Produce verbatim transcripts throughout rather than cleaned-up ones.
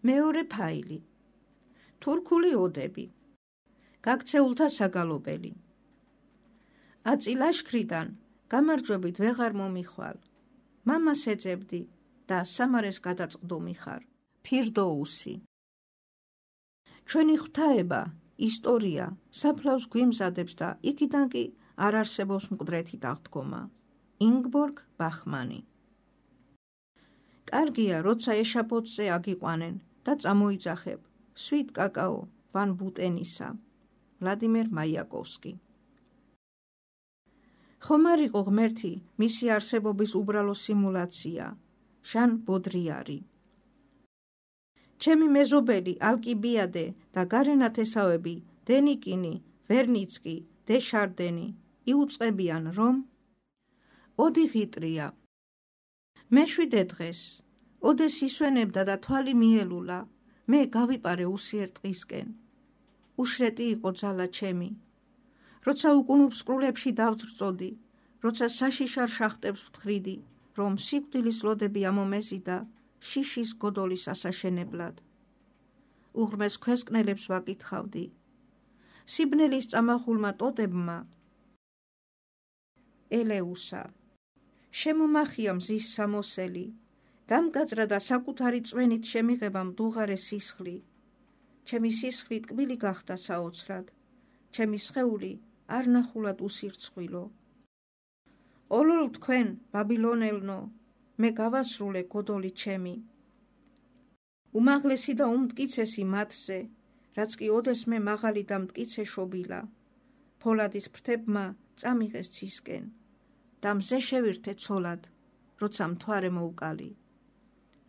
მეორე ფაილი. თურქული ოდები. გაქცეულთა საგალობელი. აწი ლაშქრიდან გამარჯვებით ვეღარ მომიხვალ. მამას ეძებდი და სამარეს გადაწყდომი ხარ. ფირდოუსი. ჩვენი ღვთაება, ისტორია, საფლავს გვიმზადებს და იქიდან კი არ არსებობს მკვდრეთი დაღდგომა. ინგბორგ ბახმანი. კარგია, როცა ეშაფოთზე აგიყვანენ და წამოიძახებ. სვით კაკაო ვან ბუტენისა. ვლადიმერ მაიაკოვსკი. ხომ არ იყო ღმერთი მისი არსებობის უბრალო სიმულაცია. ჟან ბოდრიარი. ჩემი მეზობელი ალკიბიადე და გარენათესავები დენიკინი, ვერნიცკი, დეშარდენი იუწყებიან, რომ ოდი ღიტრია. მეშვიდე დღეს ოდეს ისვენებდა და თვალი მიელულა. მე გავიპარე უსიერ ტყისკენ. უშრეტი იყო ძალა ჩემი. როცა უკუნუფსკრულებში დავძრწოდი, როცა საშიშარ შახტებს ვთხრიდი, რომ სიკვდილის ლოდები ამომეზიდა შიშის გოდოლის ასაშენებლად. უღრმეს ქვესკნელებს ვაკითხავდი. სიბნელის წამახულმა ტოტებმა ელეუსა. შემომახია მზის სამოსელი. დამგაძრა და საკუთარი წვენით შემიღება მდუღარე სისხლი. ჩემი სისხლი ტკბილი გახდა საოცრად. ჩემი სხეული არ ნახულად უსირცხვილო. ოლოლ თქვენ, ბაბილონელნო, მე გავასრულე გოდოლი ჩემი. უმაღლესი და უმტკიცესი მათზე, რაც კი ოდეს მე მაღალი და მტკიცე შობილა. ფოლადის ფრთებმა წამიღეს ცისკენ და მზე შევირთე ცოლად, როცა მთვარე მოუკალი.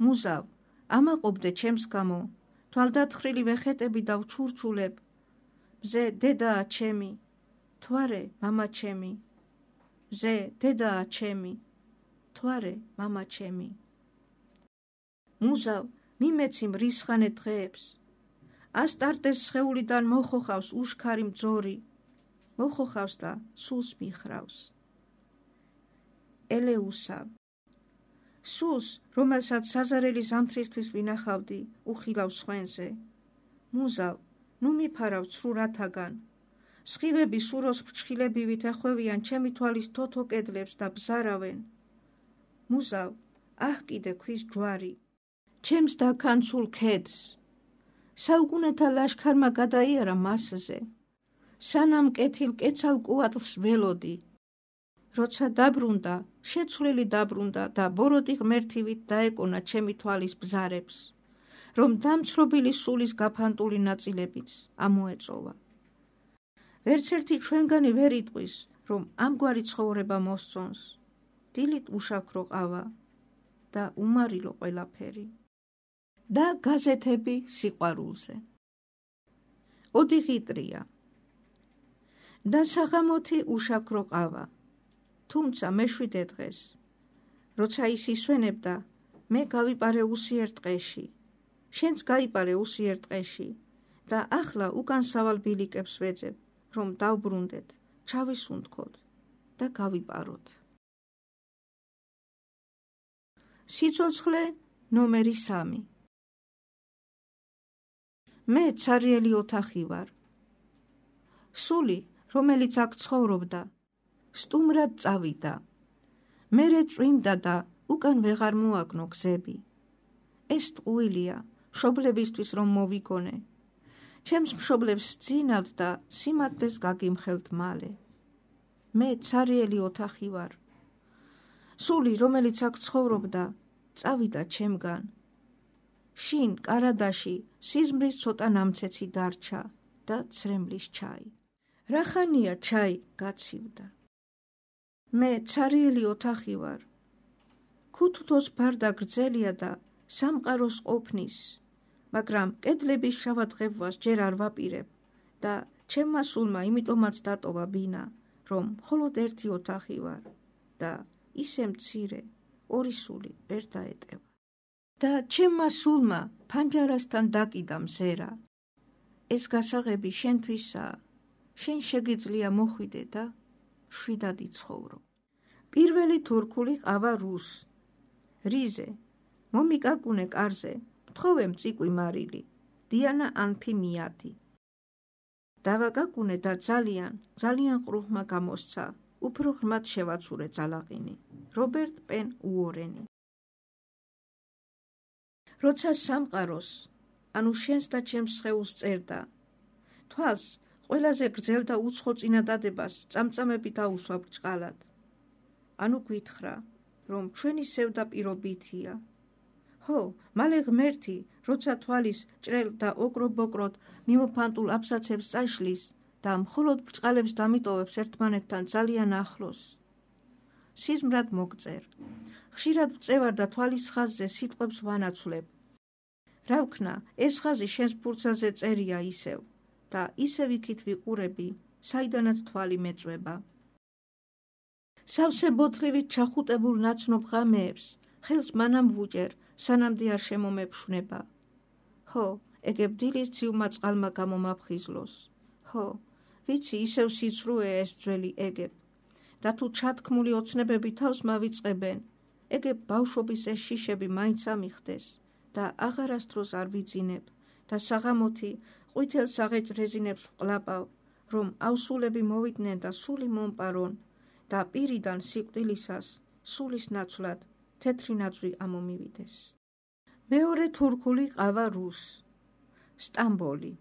მუზავ, ამაყობდე ჩემს გამო, თვალდათხრილი ვეხეტები და ვჩურჩულებ. მზე დედაა ჩემი, მთვარე მამა ჩემი. მზე დედაა ჩემი, მთვარე მამა ჩემი. მუზავ, მიმეცი მრისხანე დღეებს. ასტარტეს სხეულიდან მოხოხავს უშქარი მძორი. მოხოხავს და სულს მიხრავს. ელეუსა. სულს, რომელსაც საზარელი ზამთრისთვის ვინახავდი, უხილავ სხვენზე. მუზავ, ნუ მიფარავ ცრუ რათაგან. სხივები სუროს ფრჩხილებივით ეხვევიან ჩემი თვალის თოთო კედლებს და ბზარავენ. მუზავ, აჰ კიდე ქვის ჯვარი. ჩემს დაქანცულ ქედს. საუკუნეთა ლაშქარმა გადაიარა მასზე. სანამ კეთილ კეცალ კუატლს ველოდი. როცა დაბრუნდა, შეცვლილი დაბრუნდა და ბოროტი ღმერთივით დაეკონა ჩემი თვალის ბზარებს, რომ დამცრობილი სულის გაფანტული ნაწილებიც ამოეწოვა. ვერც ერთი ჩვენგანი ვერ იტყვის, რომ ამგვარი ცხოვრება მოსწონს. დილით უშაქრო ყავა და უმარილო ყველაფერი. და გაზეთები სიყვარულზე. ოდი ღიტრია. და საღამოთი უშაქრო ყავა. თუმცა მეშვიდე დღეს, როცა ის ისვენებდა, მე გავიპარე უსიერ ტყეში. შენც გაიპარე უსიერ ტყეში და ახლა უკან სავალ ბილიკებს ვეძებ, რომ დავბრუნდეთ, ჩავისუნთქოთ და გავიპაროთ. სიცოცხლე ნომერი სამი. მე ცარიელი ოთახი ვარ. სული, რომელიც აქ ცხოვრობდა, სტუმრად წავიდა. მერე წვიმდა და უკან ვეღარ მოაგნო გზები. ეს ტყუილია, მშობლებისთვის რომ მოვიგონე. ჩემს მშობლებს ძინავთ და სიმართლეს გაგიმხელთ მალე. მე ცარიელი ოთახი ვარ. სული, რომელიც აქ ცხოვრობდა, წავიდა ჩემგან. შინ კარადაში სიზმრის ცოტა ნამცეცი დარჩა და ცრემლის ჩაი. რახანია ჩაი გაცივდა. მე ცარიელი ოთახი ვარ. ქუთუთოს ბარდა გრძელია და სამყაროს ყოფნის, მაგრამ კედლების შავადღებვას ჯერ არ ვაპირებ და ჩემმა სულმა იმიტომაც დატოვა ბინა, რომ მხოლოდ ერთი ოთახი ვარ და ისე მცირე, ორი სული ვერ დაეტევა. და ჩემმა სულმა ფანჯარასთან დაკიდა მზერა. ეს გასაღები შენთვისაა, შენ შეგიძლია მოხვიდე და შვიდად იცხოვრო. პირველი თურქული ყავა რუს. რიზე, მომიკაკუნე კარზე, გთხოვე მწიკვი მარილი, დიანა ანფიმიადი. დავაგაგუნე და ძალიან, ძალიან ყრუღმა გამოსცა, უფრო ღრმად შევაცურე ძალაყინი. რობერტ პენ უორენი. როცა სამყაროს, ანუ შენს და ჩემს სხეულს წერდა, თვალს ყველაზე გრძელ და უცხო წინადადებას წამწამები დაუსვა ბრჭყალად. ანუ გვითხრა, რომ ჩვენი სევდა პირობითია. ჰო, მალე ღმერთი, როცა თვალის ჭრელ და ოქრო-ბოკროდ მიმოფანტულ აბსაცებს წაშლის და მხოლოდ ბრჭყალებს დამიტოვებს ერთმანეთთან ძალიან ახლოს. სიზმრად მოგწერ. ხშირად ვწევარ და თვალის ხაზზე სიტყვებს ვანაცვლებ. რა ვქნა, ეს ხაზი შენს ფურცელზე წერია ისევ და ისევ იქით ვიყურები, საიდანაც თვალი მეწვება. სავსე ბოთლივით ჩახუტებულ ნაცნობ ღამეებს ხელს მანამ ვუჭერ, სანამდე არ შემომეფშვნება. ხო, ეგებ დილის ცივმა წყალმა გამომაფხიზლოს. ხო, ვიცი, ისევ სიცრუე ეს ძველი ეგებ. და თუ ჩათქმული ოცნებები თავს მავიწყებენ, ეგებ ბავშვობის ეს შიშები მაინც ამიხდეს და აღარასდროს არ ვიძინებ და საღამოთი ყვითელ საღეჭ რეზინებს ვყლაპავ, რომ ავსულები მოვიდნენ და სული მომპარონ და პირიდან სიკვდილისას სულის ნაცვლად თეთრი ნაძვი ამომივიდეს. მეორე თურქული ყავა რუს. სტამბოლი.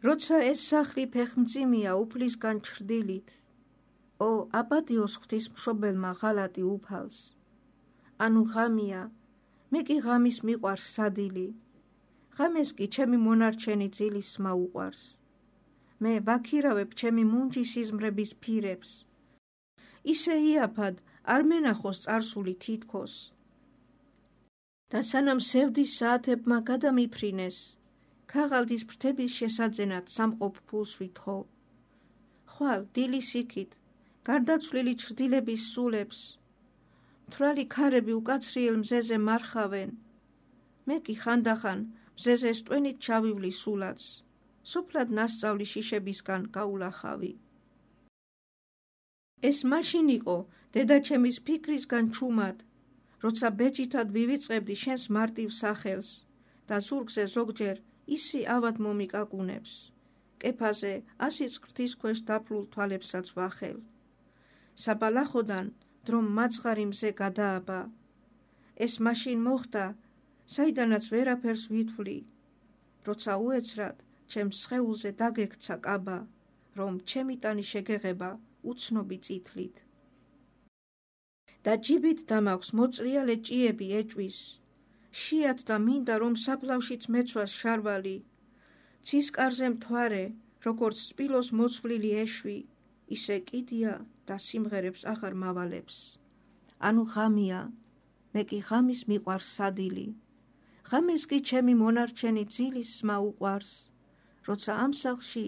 როცა ეს სახლი ფეხმძიმეა უფლისგან ჩრდილით, ო აპატიოს ღვთისმშობელმა ღალატი უფალს. ანუ ღამია, მე კი ღამის მიყვარს სადილი. ღამეს კი ჩემი მონარჩენი ძილის სმა უყვარს. მე ვაქირავებ ჩემი მუნჯი სიზმრების ფირებს. ისე იაფად არ მენახოს წარსული თითქოს. და სანამ სევდის საათებმა გადამიფრინეს, ქაღალდის ფრთების შესაძენად სამყოფ ფულს ვითხოვ. ხვალ დილის იქით, გარდაცვლილი ჩრდილების სულებს, მთვრალი ქარები უკაცრიელ მზეზე მარხავენ. მე კი ხანდახან მზეზე სტვენით ჩავივლი სულაც, სოფლად ნასწავლი შიშებისგან გაულახავი. ეს მაშინ იყო დედაჩემის ფიქრისგან ჩუმად, როცა ბეჯითად ვივიწყებდი შენს მარტივ სახელს და ზურგზე ზოგჯერ ისი ავად მომიკაკუნებს. კეფაზე ასიც ღვთის ქვეშ დაფლულ თვალებსაც ვახელ. საბალახოდან დრომ მაძღარი მზე გადააბა. ეს მაშინ მოხდა, საიდანაც ვერაფერს ვითვლი, როცა უეცრად ჩემს სხეულზე დაგექცა კაბა, რომ ჩემი ტანი შეგეღება უცნობი წითლით. და ჯიბით დამაქვს მოწრიალე ჭიები ეჭვის, შიათ და მინდა რომ საფლავშიც მეცვას შარვალი, ცისკარზე მთვარე, როგორც სპილოს მოცვლილი ეშვი, ისე კიდია და სიმღერებს აღარ მავალებს. ანუ ღამია, მე კი ღამის მიყვარს სადილი. ღამეს კი ჩემი მონარჩენი ძილის სმა უყვარს, როცა ამ სახლში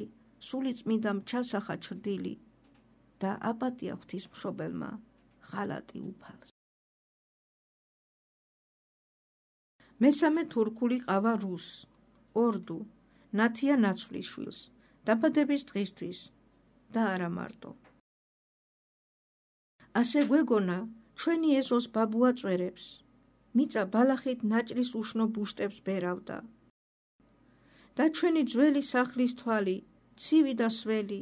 სული წმინდამ ჩასახა ჩრდილი და აპატია ღვთისმშობელმა ღალატი უფალს. მესამე თურქული ყავა რუს. ორდუ, ნათია ნაცვლიშვილს, დაბადების დღისთვის და არა მარტო. ასე გვეგონა, ჩვენი ეზოს ბაბუა წვერებს, მიწა ბალახით ნაჭრის უშნო ბუშტებს ბერავდა. და ჩვენი ძველი სახლის თვალი, ცივი და სველი,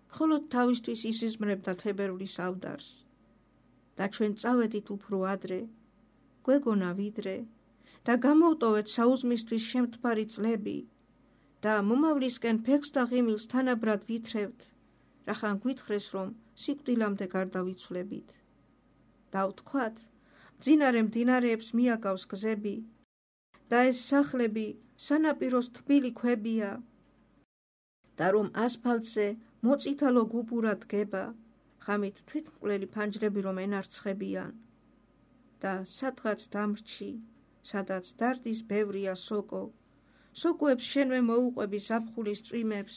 მხოლოდ თავისთვის ისიზმრებდა თებერვლის ავდარს. და ჩვენ წავედით უფრო ადრე, გვეგონა ვიდრე, და გამოვტოვეთ საუზმისთვის შემთბარი წლები, და მომავლისკენ ფეხს და ღიმილს თანაბრად ვითრევთ, რახან გვითხრეს, რომ სიკვდილამდე გარდავიცვლებით. და ვთქვათ, მძინარე მდინარეებს მიაგავს გზები, და ეს სახლები სანაპიროს თბილი ქვებია, და რომ ასფალტზე მოწითალო გუბურად დგება, ღამით თვითმკვლელი ფანჯრები რომ ენარცხებიან. და სადღაც დამრჩი, სადაც დარდის ბევრია სოკო, სოკოებს შენვე მოუყვები ზაფხულის წვიმებს,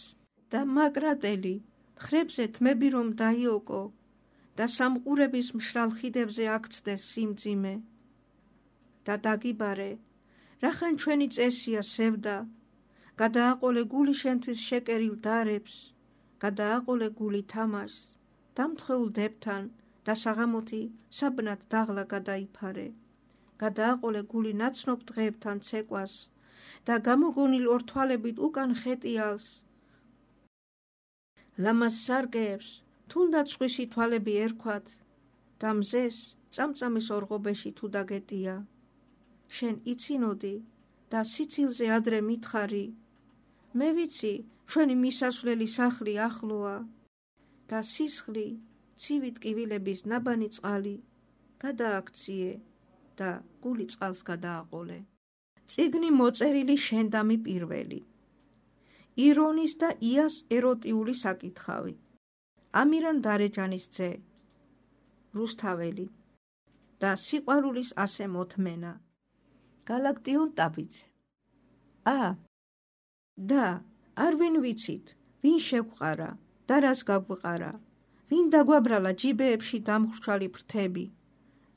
და მაგრატელი მხრებზე თმები რომ დაიოკო, და სამყურების მშრალ ხიდებზე აქცდეს სიმძიმე. და დაგიბარე, რახან ჩვენი წესია სევდა, გადააყოლე გული შენთვის შეკერილ დარებს, გადააყოლე გული თამაშს, დამთხეულ დებთან და საღამოთი საბნად დაღლა გადაიფარე. გადააყოლე გული ნაცნობ დღეებთან ცეკვას და გამოგონილ ორ თვალებით უკან ხეტიალს. ლამას სარგეებს თუნდაც სხვისი თვალები ერქვათ და მზეს წამწამის ორღობეში თუ დაგეტია. შენ იცინოდი და სიცილზე ადრე მითხარი. მე ვიცი, ჩვენი მისასვლელი სახლი ახლოა და სისხლი, ცივი ტკივილების ნაბანი წყალი გადააქციე და გული წყალს გადააყოლე. წიგნი მოწერილი შენდამი პირველი. ირონის და იას ეროტიული საკითხავი. ამირან დარეჯანის ძე. რუსთაველი და სიყვარულის ასე მოთმენა. გალაქტიონ ტაბიძე. ა და არ ვინ ვიცით, ვინ შეგვყარა და რას გაგვყარა, ვინ დაგვაბრალა ჯიბეებში დამხრჩვალი ფრთები,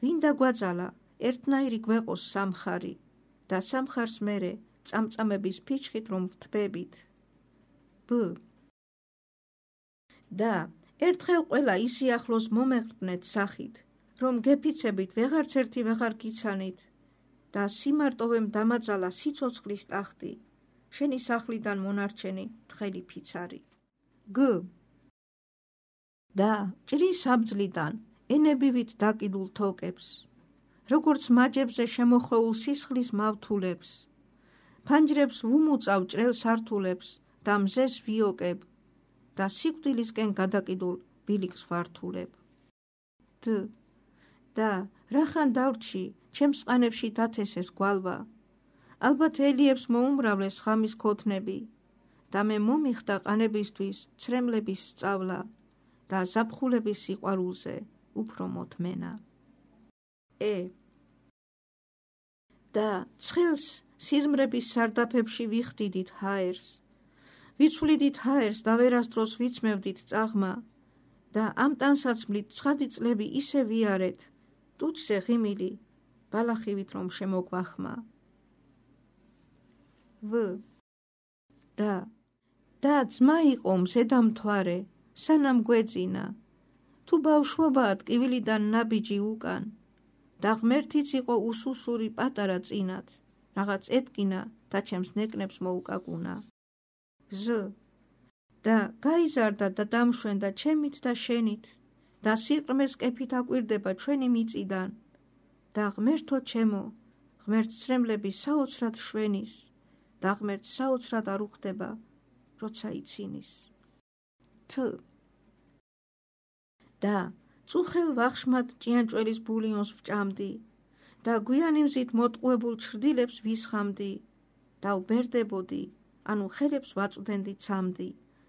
ვინ დაგვაძალა ერთნაირი გვეყოს სამხარი და სამხარს მერე წამწამების ფიჩხით რომ ვთბებით. ბ და ერთხელ ყველა ისიახლოს მომეღრწნეთ სახით, რომ გეფიცებით ვეღარც ერთი ვეღარ გიცანით და სიმარტოვემ დამაძალა სიცოცხლის ტახტი, შენი სახლიდან მონარჩენი თხელი ფიცარი. გ და ჭრის საბძლიდან ენებივით დაკიდულ თოკებს, როგორც მაჯებზე შემოხვეულ სისხლის მავთულებს, ფანჯრებს ვუმუწავ ჭრელ სართულებს და მზეს ვიოკებ და სიკვდილისკენ გადაკიდულ ბილიკს ვართულებ. դ და რახან დავრჩი, ჩემს ყანებში დათესეს გვალვა, ალბათ ელიებს მოუმრავლეს ხამის ქოთნები და მე მომიხდა ყანებისთვის ცრემლების სწავლა და ზაფხულების სიყვარულზე უფრო მოთმენა. ე და ცხელს სიზმრების სარდაფებში ვიხდიდით ჰაერს, ვიცვლიდით ჰაერს და ვერასდროს ვიცმევდით წაღმა და ამ ტანსაცმლით ცხადი წლები ისე ვიარეთ, ტუჩზე ღიმილი ბალახივით რომ შემოგვახმა. ვ და და ძმა იყო მზედამთვარე, სანამ გვეძინა, თუ ბავშვობაა ტკივილიდან ნაბიჯი უკან და ღმერთიც იყო უსუსური პატარა წინათ, რაღაც ეტკინა და ჩემს ნეკნებს მოუკაკუნა. ზ და გაიზარდა და დამშვენდა ჩემით და შენით და სიყრმეს კეფით აკვირდება ჩვენი მიწიდან და ღმერთო ჩემო, ღმერთს ცრემლები საოცრად შვენის და ღმერთს საოცრად არ უხდება, როცა იცინის. თ და წუხელ ვახშმად ჭიანჭველის ბულიონს ვჭამდი და გვიანი მზით მოტყუებულ ჩრდილებს ვისხამდი და ვბერდებოდი, ანუ ხელებს ვაწვდენდი ცამდი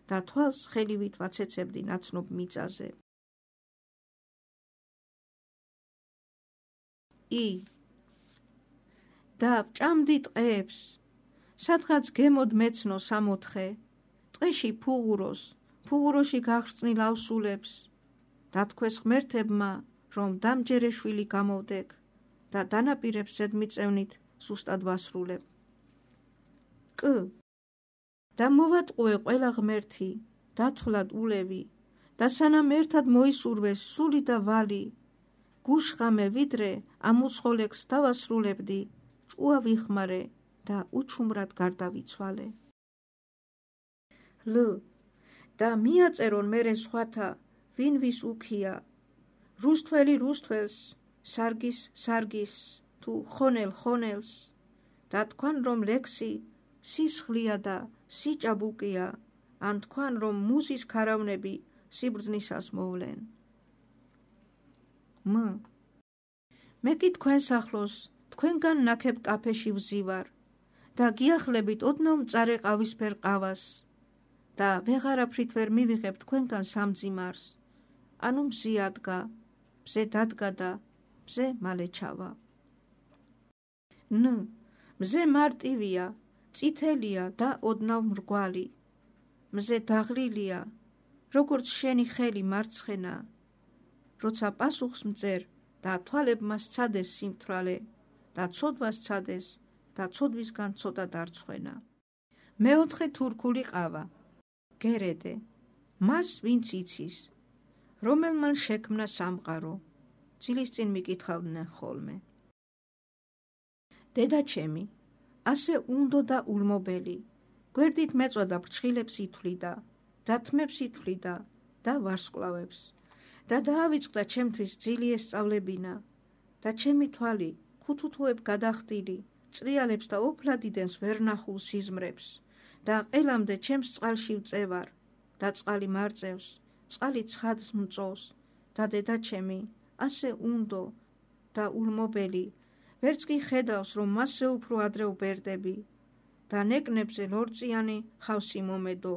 და თვალს ხელივით ვაცეცებდი ნაცნობ მიწაზე. ი და ვჭამდი ტყეებს, სადღაც გემოდ მეცნო სამოთხე, ტყეში ფუღუროს, ფუღუროში გახსნილ ავსულებს და თქვეს ღმერთებმა, რომ დამჯერეშვილი გამოვდეკ და დანაპირებს ზედმიწევნით სუსტად ვასრულებ. კ და მოვატყუე ყველა ღმერთი, დათვლად ულევი და სანამ ერთად მოისურვეს სული და ვალი, გუშხამე ვიდრე ამ უცხოლექს დავასრულებდი, ჭუა ვიხმარე და უჩუმრად გარდავიცვალე. ლ და მიაწერონ მერე სხვათა, ვინ ვის უქია, რუსთველი რუსთველს, სარგის სარგის თუ ხონელ ხონელს და თქვან რომ ლექსი სისხლია და სიჭაბუკია, ან თქვან რომ მუზის ქარავნები სიბრძნისას მოვლენ. մ მე კი თქვენს ახლოს თქვენგან ნაქებ კაფეში ვზივარ და გიახლებით ოდნავ მწარე ყავისფერ ყავას და ვეღარაფრით ვერ მივიღებ თქვენგან სამძიმარს, ანუ მზე ადგა, მზე დადგა და მზე მალე ჩავა. ν მზე მარტივია, წითელია და ოდნავ მრგვალი, მზე დაღლილია, როგორც შენი ხელი მარცხენა, როცა პასუხს მწერ და თვალებმა სცადეს სიმთვრალე და ცოდვას სცადეს და ცოდვისგან ცოტა დარცხვენა. მეოთხე თურქული ყავა. გერედე, მას ვინც იცის, რომელმან შექმნა სამყარო, ძილის წინ მიკითხავდნენ ხოლმე. დედაჩემი, ასე უნდო და ულმობელი, გვერდით მეწოდა ფრჩხილებს ითვლიდა, და თმებს ითვლიდა და ვარსკვლავებს, და დაავიწყდა ჩემთვის ძილი ესწავლებინა, და ჩემი თვალი ქუთუთუებ გადახდილი, წრიალებს და ოფლადიდენს ვერ ნახულ სიზმრებს, და ყელამდე ჩემს წყალში ვწევარ, და წყალი მარწევს, წყალი ცხადს მწოვს, და დედაჩემი, ასე უნდო და ულმობელი, ვერც კი ხედავს, რომ მასზე უფრო ადრე ვბერდები, და ნეკნებზე ლორწიანი ხავსი მომედო,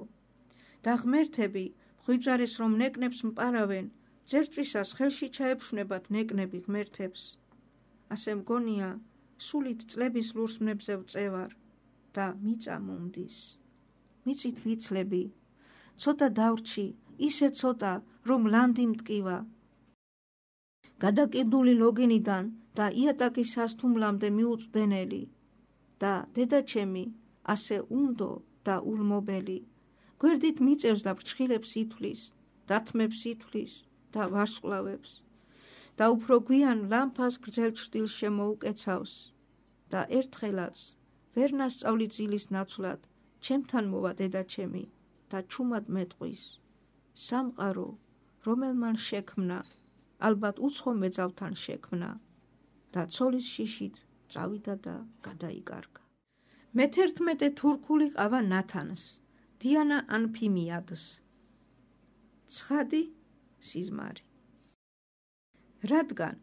და ღმერთები ღვიძარეს რომ ნეკნებს მპარავენ, ძერწვისას ხელში ჩაეფშვნებათ ნეკნები ღმერთებს. ასე მგონია, სულით წლების ლურსმნებზე ვწევარ და მიწა მომდის. მიწით ვიცლები, ცოტა დავრჩი, ისე ცოტა, რომ ლანდი მტკივა. გადაკიდული ლოგინიდან და იატაკის სასთუმლამდე მიუწვდენელი, და დედაჩემი, ასე უნდო და ულმობელი, გვერდით მიწევს და ფრჩხილებს ითვლის, და თმებს ითვლის და ვარსკვლავებს, და უფრო გვიან ლამფას გრძელ ჩრდილს შემოუკეცავს, და ერთხელაც ვერ ნასწავლი ძილის ნაცვლად ჩემთან მოვა დედაჩემი და ჩუმად მეტყვის. სამყარო, რომელ მან შექმნა, ალბათ უცხო მეძავთან შექმნა, და ცოლის შიშით წავიდა და გადაიკარგა. მეთერთმეტე თურქული ყავა ნათანს, დიანა ანფიმიადს. ცხადი სიზმარი. რადგან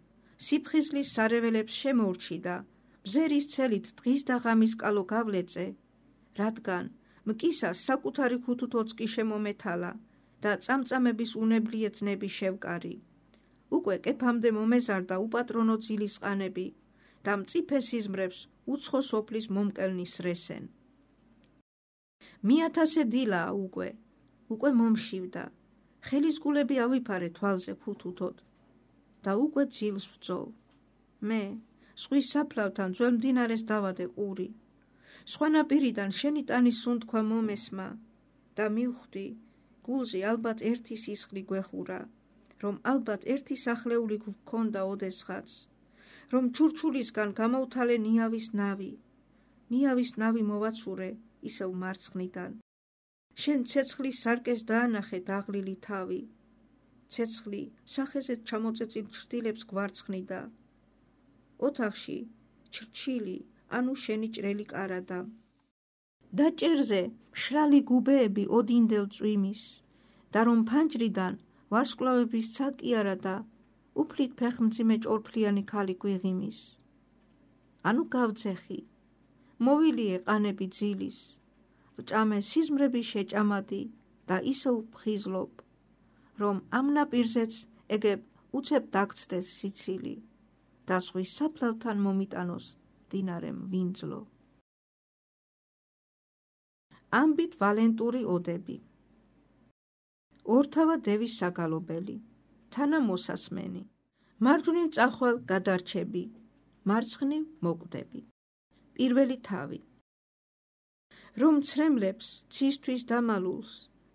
სიფხიზლის სარეველებს შემოურჩიდა, ბზერის ცელით დღის და ღამის კალო გავლეწე, რადგან მკისას საკუთარი ქუთუთოც კი შემომეთალა და წამწამების უნებლიე ძნები შევკარი, უკვე კეფამდე მომეზარდა უპატრონო ძილის ყანები და მწიფე სიზმრებს უცხო სოფლის მომკელნის რესენ. მიათასე დილაა უკვე, უკვე მომშივდა, ხელის გულები ავიფარე თვალზე ქუთუთოდ და უკვე ძილს ვწოვ. მე, ზღვის საფლავთან ძველ მდინარეს დავადე ყური, სხვანაპირიდან შენი ტანის სუნთქვა მომესმა და მივხვდი, გულზე ალბათ ერთი სისხლი გვეხურა, რომ ალბათ ერთი სახლეული გვქონდა ოდესღაც, რომ ჩურჩულისგან გამოვთალე ნიავის ნავი, ნიავის ნავი მოვაცურე ისევ მარცხნიდან. შენ ცეცხლის სარკეს დაანახე დაღლილი თავი, ცეცხლი სახეზე ჩამოწეწილ ჩრდილებს გვარცხნიდა. ოთახში ჩრჩილი, ანუ შენი ჭრელი კარადა. და ჭერზე მშრალი გუბეები ოდინდელ წვიმის, და რომ ფანჯრიდან ვარსკვლავების ცალკიარა და უფლით ფეხმძიმე ჭორფლიანი ქალი გვიღიმის. ანუ გავძეხი, მოვილიე ყანები ძილის, ვჭამე სიზმრები შეჭამადი და ისევ ვფხიზლობ, რომ ამ ნაპირზეც ეგებ უცებ დაგცდეს სიცილი და ზღვის საფლავთან მომიტანოს მდინარე მვინძლო. ამბით ვალენტური ოდები. ორთავა დევის საგალობელი, თანა მოსასმენი, მარჯვნივ წახვალ გადარჩები, მარცხნივ მოკვდები. პირველი თავი. რომ ცრემლებს ცისთვის დამალულს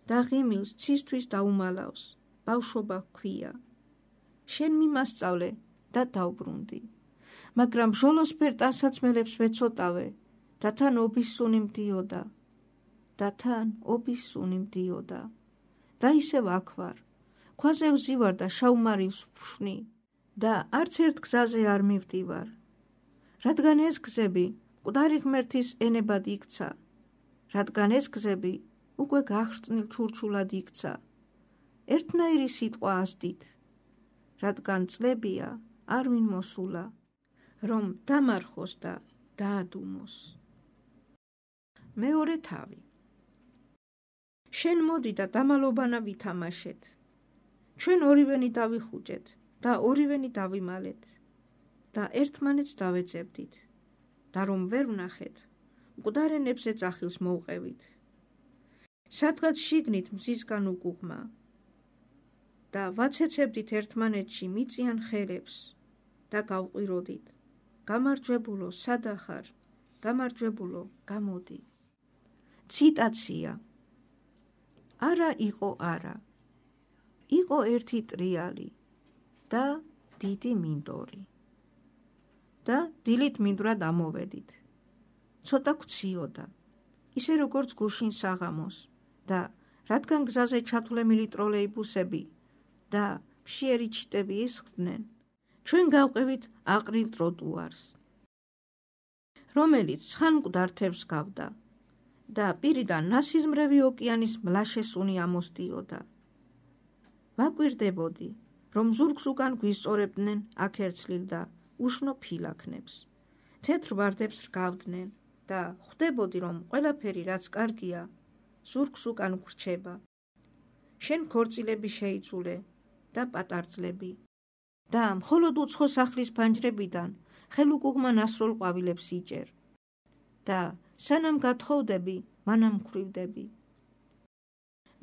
და ღიმილს ცისთვის დაუმალავს, ბავშვობა ჰქვია. შენ მიმასწავლე და დავბრუნდი, მაგრამ ჟოლოსფერ ტანსაცმელებს ვეცოტავე და თან ობის სუნი მდიოდა, და თან ობის სუნი მდიოდა. და ისევ აქ ვარ, ქვაზე ვზივარ და შავმარის ვფშვნი და არც ერთ გზაზე არ მივდივარ, რადგან ეს გზები მკვდარი ღმერთის ენებად იქცა, რადგან ეს გზები უკვე გახრწნილ ჩურჩულად იქცა, ერთნაირი სიტყვა ასდით, რადგან წლებია არ ვინ მოსულა, რომ დამარხოს და დაადუმოს. მეორე თავი. შენ მოდი და დამალობანა ვითამაშეთ, ჩვენ ორივენი დავიხუჭეთ და ორივენი დავიმალეთ და ერთმანეთს დავეძებდით და რომ ვერ ვნახეთ, მკვდარენებზე წახილს მოვყევით. სადღაც შიგნით მზისგან უგუღმა და ვაცეცებდით ერთმანეთში მიწიან ხელებს და გავყვიროდით, გამარჯვებულო სადახარ, გამარჯვებულო გამოდი. ციტაცია. არა იყო არა, იყო ერთი ტრიალი და დიდი მინდორი. და დილით მინდვრად ამოვედით. ცოტა გციოდა, ისე როგორც გუშინ საღამოს და რადგან გზაზე ჩათვლემილი ტროლეიბუსები და მშიერი ჩიტები ისხდნენ, ჩვენ გავყევით აყრილ ტროტუარს, რომელიც ხანმკვდარ თევზს გავდა და პირიდან ნასიზმრევი ოკეანის მლაშე სუნი ამოსდიოდა. ვაკვირდებოდი, რომ ზურგს უკან გვისწორებდნენ აქერცლილ და უშნო ფილაქნებს, თეთრ ვარდებს რგავდნენ და ხვდებოდი, რომ ყველაფერი, რაც კარგია, ზურგს უკან გვრჩება. შენ ქორწილები შეიცულე და პატარძლები და მხოლოდ უცხო სახლის ფანჯრებიდან ხელუკუღმა ნასროლ ყვავილებს იჭერ და სანამ გათხოვდები, მანამ მქვრივდები.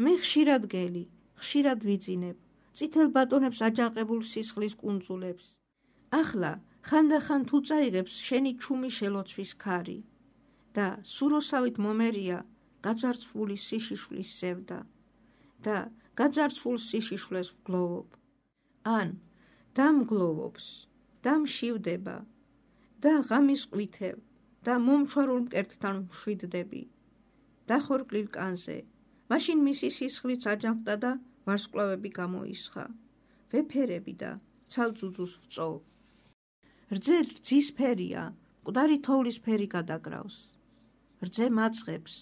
მე ხშირად გელი, ხშირად ვიძინებ წითელ ბატონებს აჯანყებულ სისხლის კუნძულებს. ახლა ხანდახან თუ წაიღებს შენი ჩუმი შელოცვის ქარი და სუროსავით მომერია გაძარცვული სიშიშვლის სევდა და გაძარცვულ სიშიშვლეს ვგლოვობ. ან დამგლოვობს, დამშივდება და ღამის ყვითელ და მომჩვარულ მკერდთან მშვიდდები. დახორკლილ კანზე, მაშინ მისი სისხლიც აჯანყდა და ვარსკვლავები გამოისხა. ვეფერები და ცალძუძუს ვწოვ. რძე რძის ფერია, მკვდარი თოვლის ფერი გადაგრავს. რძე მაწყებს.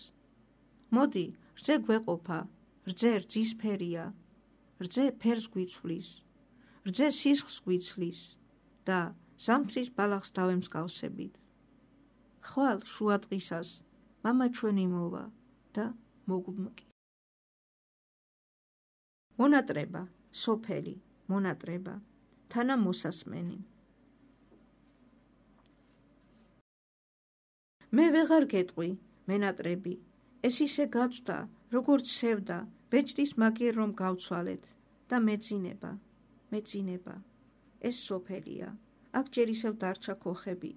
მოდი, რძე გვეყოფა, რძე რძის ფერია, რძე ფერს გვიცვლის, რძე სისხლს გვიცლის და ზამთრის ბალახს დავემსგავსებით. ხვალ შუა დღისას მამა ჩვენი მოვა და მოგვმკი. მონატრება, სოფელი, მონატრება, თანა მოსასმენი. მე ვეღარ გეტყვი, მენატრები, ეს ისე გაწვდა, როგორც სევდა, ბეჭდის მაგიერ რომ გავცვალეთ და მეძინება, მეძინება. ეს სოფელია, აქ ჯერ ისევ დარჩა ქოხები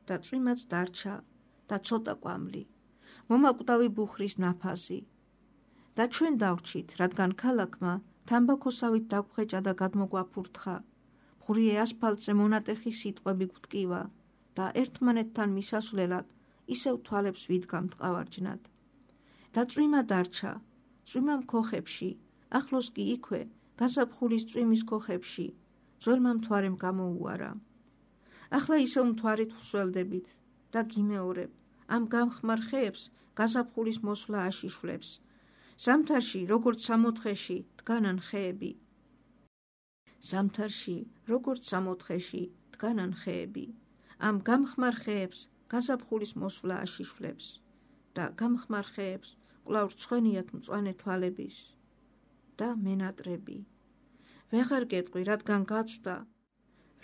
და წვიმაც დარჩა და ცოტა კვამლი, მომაკვდავი ბუხრის ნაფაზი. და ჩვენ დავრჩით, რადგან ქალაქმა თამბაქოსავით დაგხვეჭა და გადმოგვაფურთხა, ღვრიე ასფალტზე მონატეხი სიტყვები გვტკივა და ერთმანეთთან მისასვლელად ისევ თვალებს ვიდგამთ ყავარჯნად. და წვიმა დარჩა, წვიმამ ქოხებში, ახლოს კი იქვე, გაზაფხულის წვიმის ქოხებში, ძველმა მთვარემ გამოუარა. ახლა ისევ მთვარით ვსველდებით და გიმეორებ, ამ გამხმარ ხეებს გაზაფხულის მოსვლა აშიშვლებს. ზამთარში, როგორც სამოთხეში, დგანან ხეები. ზამთარში, როგორც სამოთხეში, დგანან ხეები. ამ გამხმარ ხეებს გაზაფხულის მოსვლა აშიშვლებს და გამხმარ ხეებს კვლავ რცხვენიათ მწვანე თვალების და მენატრები. ვეღარ გეტყვი, რადგან გაწვდა,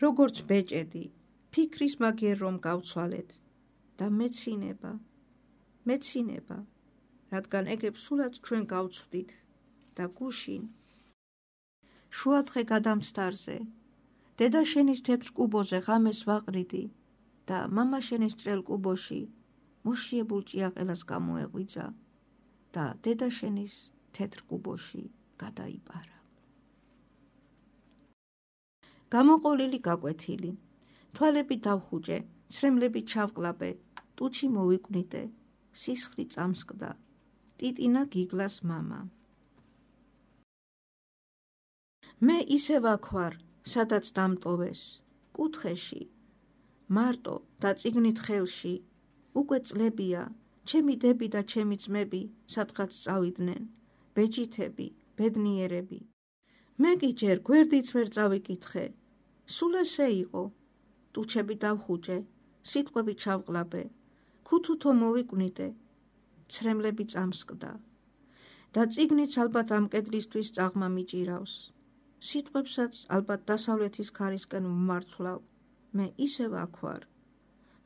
როგორც ბეჭედი, ფიქრის მაგიერ რომ გავცვალეთ და მეცინება, მეცინება, რადგან ეგებს სულაც ჩვენ გავცვდით და გუშინ. შუადღე გადამცდარზე, დედა შენის თეთრ კუბოზე ღამეს ვაყრიდი და მამა შენის ჭრელ კუბოში მოშიებულ ჭიაყელას გამოეღვიძა და დედა შენის თეთრ კუბოში გადაიპარა. გამოყოლილი გაკვეთილი, თვალები დავხუჭე, ცრემლები ჩავყლაპე, ტუჩი მოვიკვნიტე, სისხლი წამსკდა, ტიტინა გიგლას მამა. მე ისევ აქ ვარ, სადაც დამტოვეს, კუთხეში, მარტო და წიგნით ხელში, უკვე წლებია, ჩემი დები და ჩემი ძმები სადღაც წავიდნენ, ბეჯითები, ბედნიერები. მე კი ჯერ გვერდიც ვერ წავიკითხე, სულ ესე იყო, ტუჩები დავხუჭე, სიტყვები ჩავყლაპე, ქუთუთო მოვიკვნიტე, ცრემლები წამსკდა და წიგნიც ალბათ ამ კედლისთვის წაღმა მიჭირავს. სიტყვებსაც ალბათ დასავლეთის ქარისკენ ვმართვლავ, მე ისევ აქ ვარ,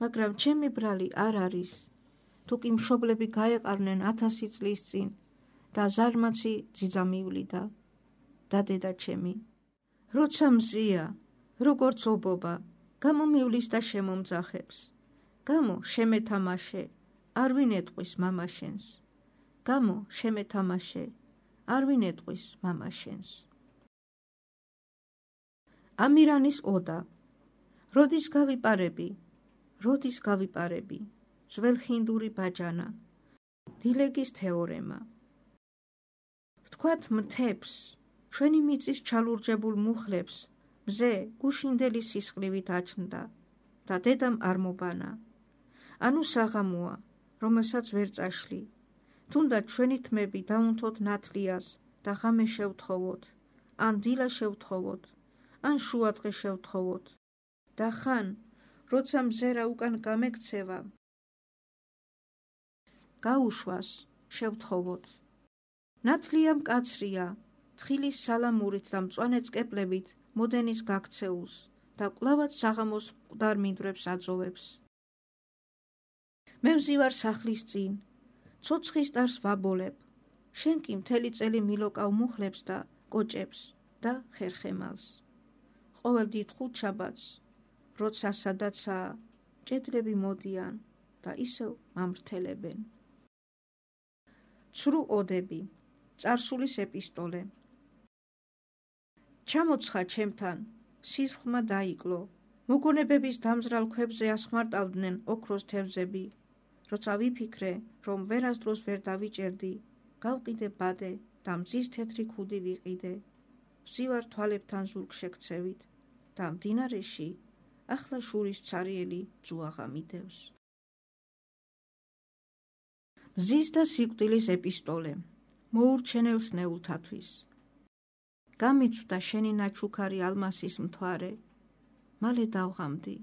მაგრამ ჩემი ბრალი არ არის, თუ კი მშობლები გაეყარნენ ათასი წლის წინ და ზარმაცი ძიძა მივლიდა და დედა ჩემი. როცა მზია, როგორც ობობა, გამომივლის და შემომძახებს. გამო შემეთამაშე, არ ვინ ეტყვის მამა შენს. გამო შემეთამაშე, არ ვინ ეტყვის მამა შენს. ამირანის ოდა. როდის გავიპარები, როდის გავიპარები, ძველ ხინდური ბაჯანა, დილეგის თეორემა. ვთქვათ მთებს, ჩვენი მიწის ჩალურჯებულ მუხლებს, მზე გუშინდელი სისხლივით აჩნდა და დედამ არ მობანა. ანუ საღამოა, რომელსაც ვერ წაშლი. თუნდაც ჩვენი თმები დაუნთოთ ნათლიას და ღამე შევთხოვოთ, ან დილა შევთხოვოთ, ან შუადღე შევთხოვოთ. და ხან, როცა მზერა უკან გამექცევა, გაუშვას შევთხოვოთ. ნათლია მკაცრია, თხილის სალამურით და მწვანე წყეპლებით მოდენის გაქცეულს და კვლავად საღამოს მკვდარ მინდვრებს აწოვებს. მე ვზივარ სახლის წინ, ცოცხის დარს ვაბოლებ, შენ კი მთელი წელი მილოკავ მუხლებს და კოჭებს და ხერხემალს. ყოველ დიდ ხუთშაბათს, როცა სადაცაა, ჭედლები მოდიან და ისევ მამრთელებენ. ცრუ ოდები, წარსულის ეპისტოლე. ჩამოცხა ჩემთან, სისხლმა დაიკლო, მოგონებების დამზრალ ქვებზე ასხმარტავდნენ ოქროს თევზები. როცა ვიფიქრე, რომ ვერასდროს ვერ დავიჭერდი, გავყიდე ბადე და მზის თეთრი ქუდი ვიყიდე. ვზივარ თვალებთან ზურგ შექცევით და მდინარეში ახლა შურის ცარიელი ძუაღა მიდევს. მზის და სიკვდილის ეპისტოლე. მოურჩენელს ნეულთათვის. გამიცვდა შენი ნაჩუქარი ალმასის მთვარე, მალე დავღამდი.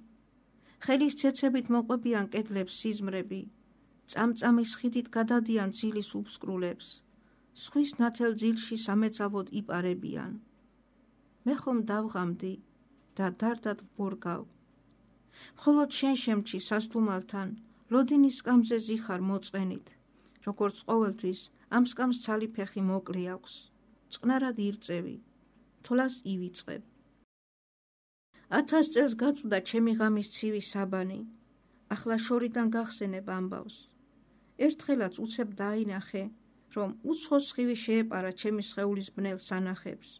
ხელის ცეცებით მოყვებიან კედლებს სიზმრები, წამწამის ხიდით გადადიან ძილის უბსკრულებს, ზღვის ნათელ ძილში სამეცავოდ იპარებიან. მე ხომ დავღამდი და დარდად ვბორგავ. მხოლოდ შენ შემჩი სასტუმალთან, ლოდინის სკამზე ზიხარ მოწყენით, როგორც ყოველთვის ამ სკამს ცალი ფეხი მოკლე აქვს, წყნარად ირწევი, თვლას ივიწყებ. ათას წელს გაწვდა ჩემი ღამის ცივი საბანი, ახლა შორიდან გახსენებ ამბავს. ერთხელაც უცებ დაინახე, რომ უცხო სხივი შეეპარა ჩემი სხეულის ბნელ სანახებს.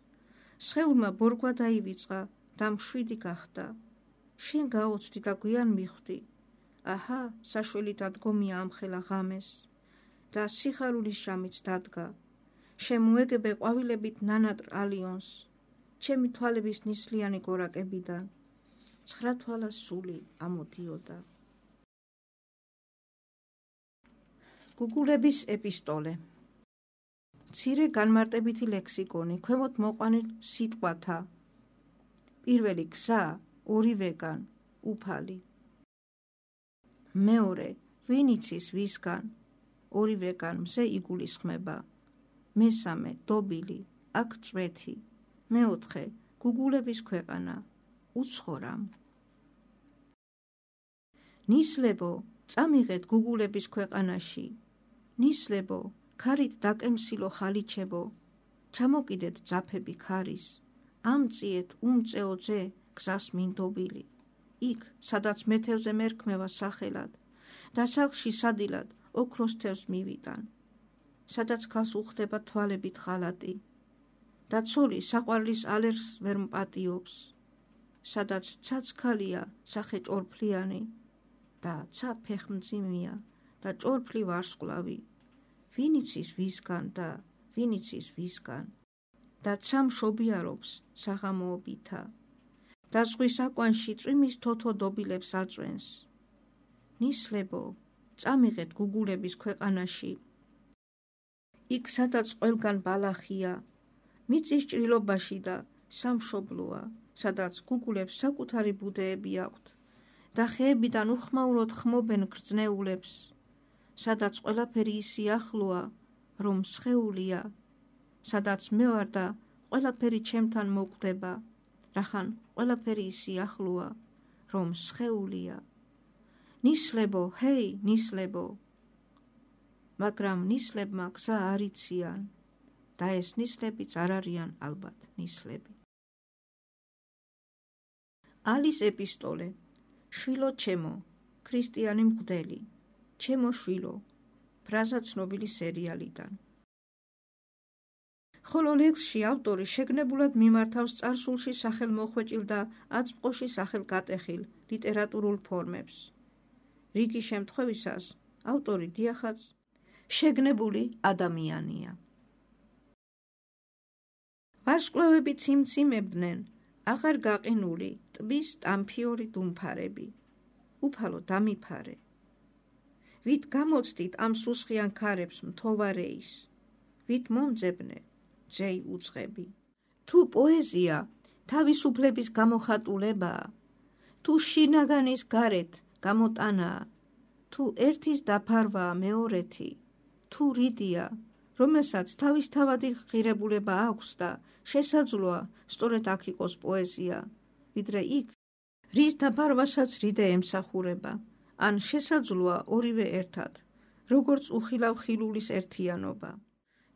სხეულმა ბორგვა დაივიწყა და მშვიდი გახდა. შენ გაოცდი და გვიან მიხვდი. აჰა, საშველი დადგომია ამხელა ღამეს. და სიხარულის ჟამიც დადგა. შემოეგებე ყვავილებით ნანატრ ალიონს, ჩემი თვალების ნისლიანი გორაკებიდან. ცხრა თვალას სული ამოდიოდა. გუგულების ეპისტოლე. მცირე განმარტებითი ლექსიკონი, ქვემოთ მოყვანილ სიტყვათა. პირველი გზა, ორივეგან, უფალი. მეორე, ვინ იცის ვისგან, ორივეგან მზე იგულისხმება. მესამე, დობილი, აქ წვეთი. მეოთხე, გუგულების ქვეყანა, უცხორამ. ნისლებო, წამიღეთ გუგულების ქვეყანაში. ნისლებო, ქარით დაკემსილო ხალიჩებო, ჩამოკიდეთ ძაფები ქარის. ამწიეთ უმწეო ძე გზას მინდობილი. იქ, სადაც მეთევზე მერქმევა სახელად და სახლში სადილად ოქროს თევზს მივიტან. სადაც ქალს უხდება თვალებით ღალატი და ცოლი საყვარლის ალერს ვერ მპატიობს. სადაც ცაცქალია სახე ჭორფლიანი და ცა ფეხმძიმია და ჭორფლი ვარსკვლავი. ვინ იცის ვისგან და ვინ იცის ვისგან და ცა მშობიარობს საღამოობითა და ზღვის აკვანში წვიმის თოთო დობილებს აწვენს. ნისლებო, წამიღეთ გუგულების ქვეყანაში. იქ სადაც ყველგან ბალახია, მიწის ჭრილობაში და სამშობლოა, სადაც გუგულებს საკუთარი ბუდეები აქვთ და ხეებიდან უხმაუროდ ხმობენ გრძნეულებს, სადაც ყველაფერი ისი ახლოა, რომ სხეულია, სადაც მე ვარ და ყველაფერი ჩემთან მოკვდება, რახან ყველაფერი ისი ახლოა, რომ სხეულია. ნისლებო, ჰეი, ნისლებო. მაგრამ ნისლებმა გზა არ იციან და ეს ნისლებიც არ არიან ალბათ ნისლები. ალის ეპისტოლე. შვილო ჩემო, ქრისტიანი მღვდელი, ჩემო შვილო, ფრაზა ცნობილი სერიალიდან. ხოლო ლექსში ავტორი შეგნებულად მიმართავს წარსულში სახელმოხვეჭილ და აწმყოში სახელგატეხილ ლიტერატურულ ფორმებს. რიგი შემთხვევისას ავტორი დიახაც შეგნებული ადამიანია. ვარსკვლავები ციმციმებდნენ აღარ გაყინული ტბის ტამფიორი დუმფარები. უფალო დამიფარე. ვით გამოცდით ამ სუსხიან ქარებს მთოვარეის, ვით მომძებნე ძეი უწყები. თუ პოეზია თავისუფლების გამოხატულებაა, თუ შინაგანის გარეთ გამოტანაა, თუ ერთის დაფარვაა მეორეთი, თუ რიდია, რომელსაც თავისთავადი ღირებულება აქვს და შესაძლოა სწორედ აქ იყოს პოეზია, ვიდრე იქ, რის დაფარვასაც რიდე ემსახურება, ან შესაძლოა ორივე ერთად, როგორც უხილავ ხილულის ერთიანობა.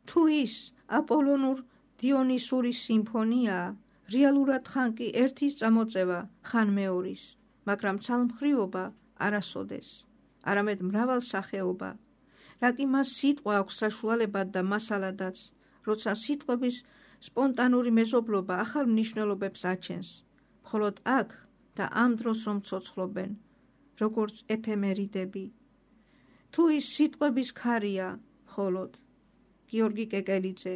თუ ის აპოლონურ დიონისური სიმფონიაა, რეალურად ხან კი ერთის წამოწევა, ხან მეორის, მაგრამ ცალმხრივობა არასოდეს, არამედ მრავალსახეობა, რა კი მას სიტყვა აქვს საშუალებად და მასალადაც, როცა სიტყვების სპონტანური მეზობლობა ახალ მნიშვნელობებს აჩენს, მხოლოდ აქ და ამ დროს რომ ცოცხლობენ, როგორც ეფემერიდები. თუ ის სიტყვების ქარია, მხოლოდ გიორგი კეკელიძე,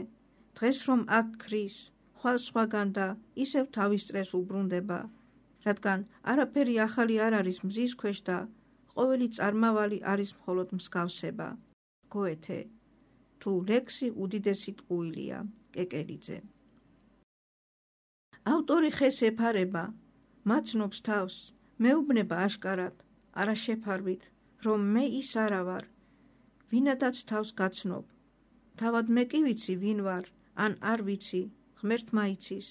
დღეს რომ აქ ქრის, ხვალ სხვაგან და ისევ თავის წრეს უბრუნდება, რადგან არაფერი ახალი არ არის მზის ქვეშ და ყოველი წარმავალი არის მხოლოდ მსგავსება. გოეთე, თუ ლექსი უდიდესი ტყუილია, კეკელიძე. ავტორი ხეს ეფარება, მაცნობს თავს, მეუბნება აშკარად, არა შეფარვით, რომ მე ის არა ვარ, ვინადაც თავს გაცნობ. თავად მე კი ვიცი ვინ ვარ, ან არ ვიცი, ღმერთმა იცის.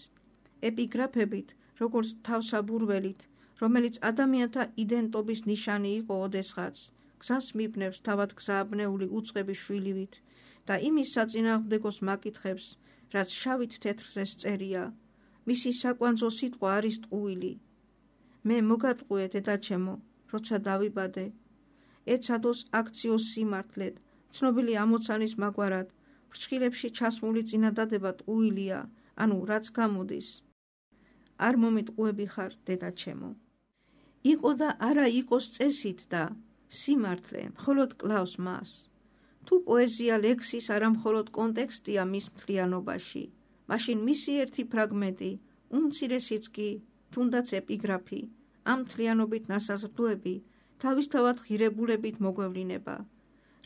ეპიგრაფებით, როგორც თავსაბურველით, რომელიც ადამიანთა იდენტობის ნიშანი იყო ოდესღაც, გზას მიბნევს თავად გზააბნეული უწყების შვილივით და იმის საწინააღმდეგოს მაკითხებს, რაც შავით თეთრზე წერია, მისი საკვანძო სიტყვა არის ტყუილი. მე მოგატყუე დედაჩემო, როცა დავიბადე, ეცადოს აქციოს სიმართლედ, ცნობილი ამოცანის მაგვარად, ფრჩხილებში ჩასმული წინადადება ტყუილია, ანუ რაც გამოდის. არ მომიტყუები ხარ, დედაჩემო. იყო და არა იყოს წესით და სიმართლე მხოლოდ კლავს მას. თუ პოეზია ლექსის არა მხოლოდ კონტექსტია მის მთლიანობაში, მაშინ მისი ერთი ფრაგმენტი, უმცირესიც კი, თუნდაც ეპიგრაფი, ამ მთლიანობით ნასაზრდოები, თავისთავად ღირებულებით მოგვევლინება,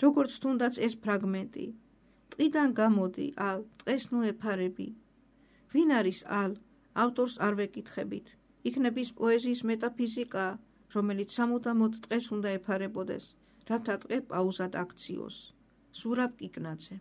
როგორც თუნდაც ეს ფრაგმენტი. ტყიდან გამოდი, ალ, ტყეს ნუ ეფარები. ვინ არის ალ, ავტორს არ ვეკითხებით, იქნებ ის პოეზიის მეტაფიზიკა, რომელიც სამუდამოდ ტყეს უნდა ეფარებოდეს, რათა ტყე პაუზად აქციოს. ზურაბ კიკნაძე.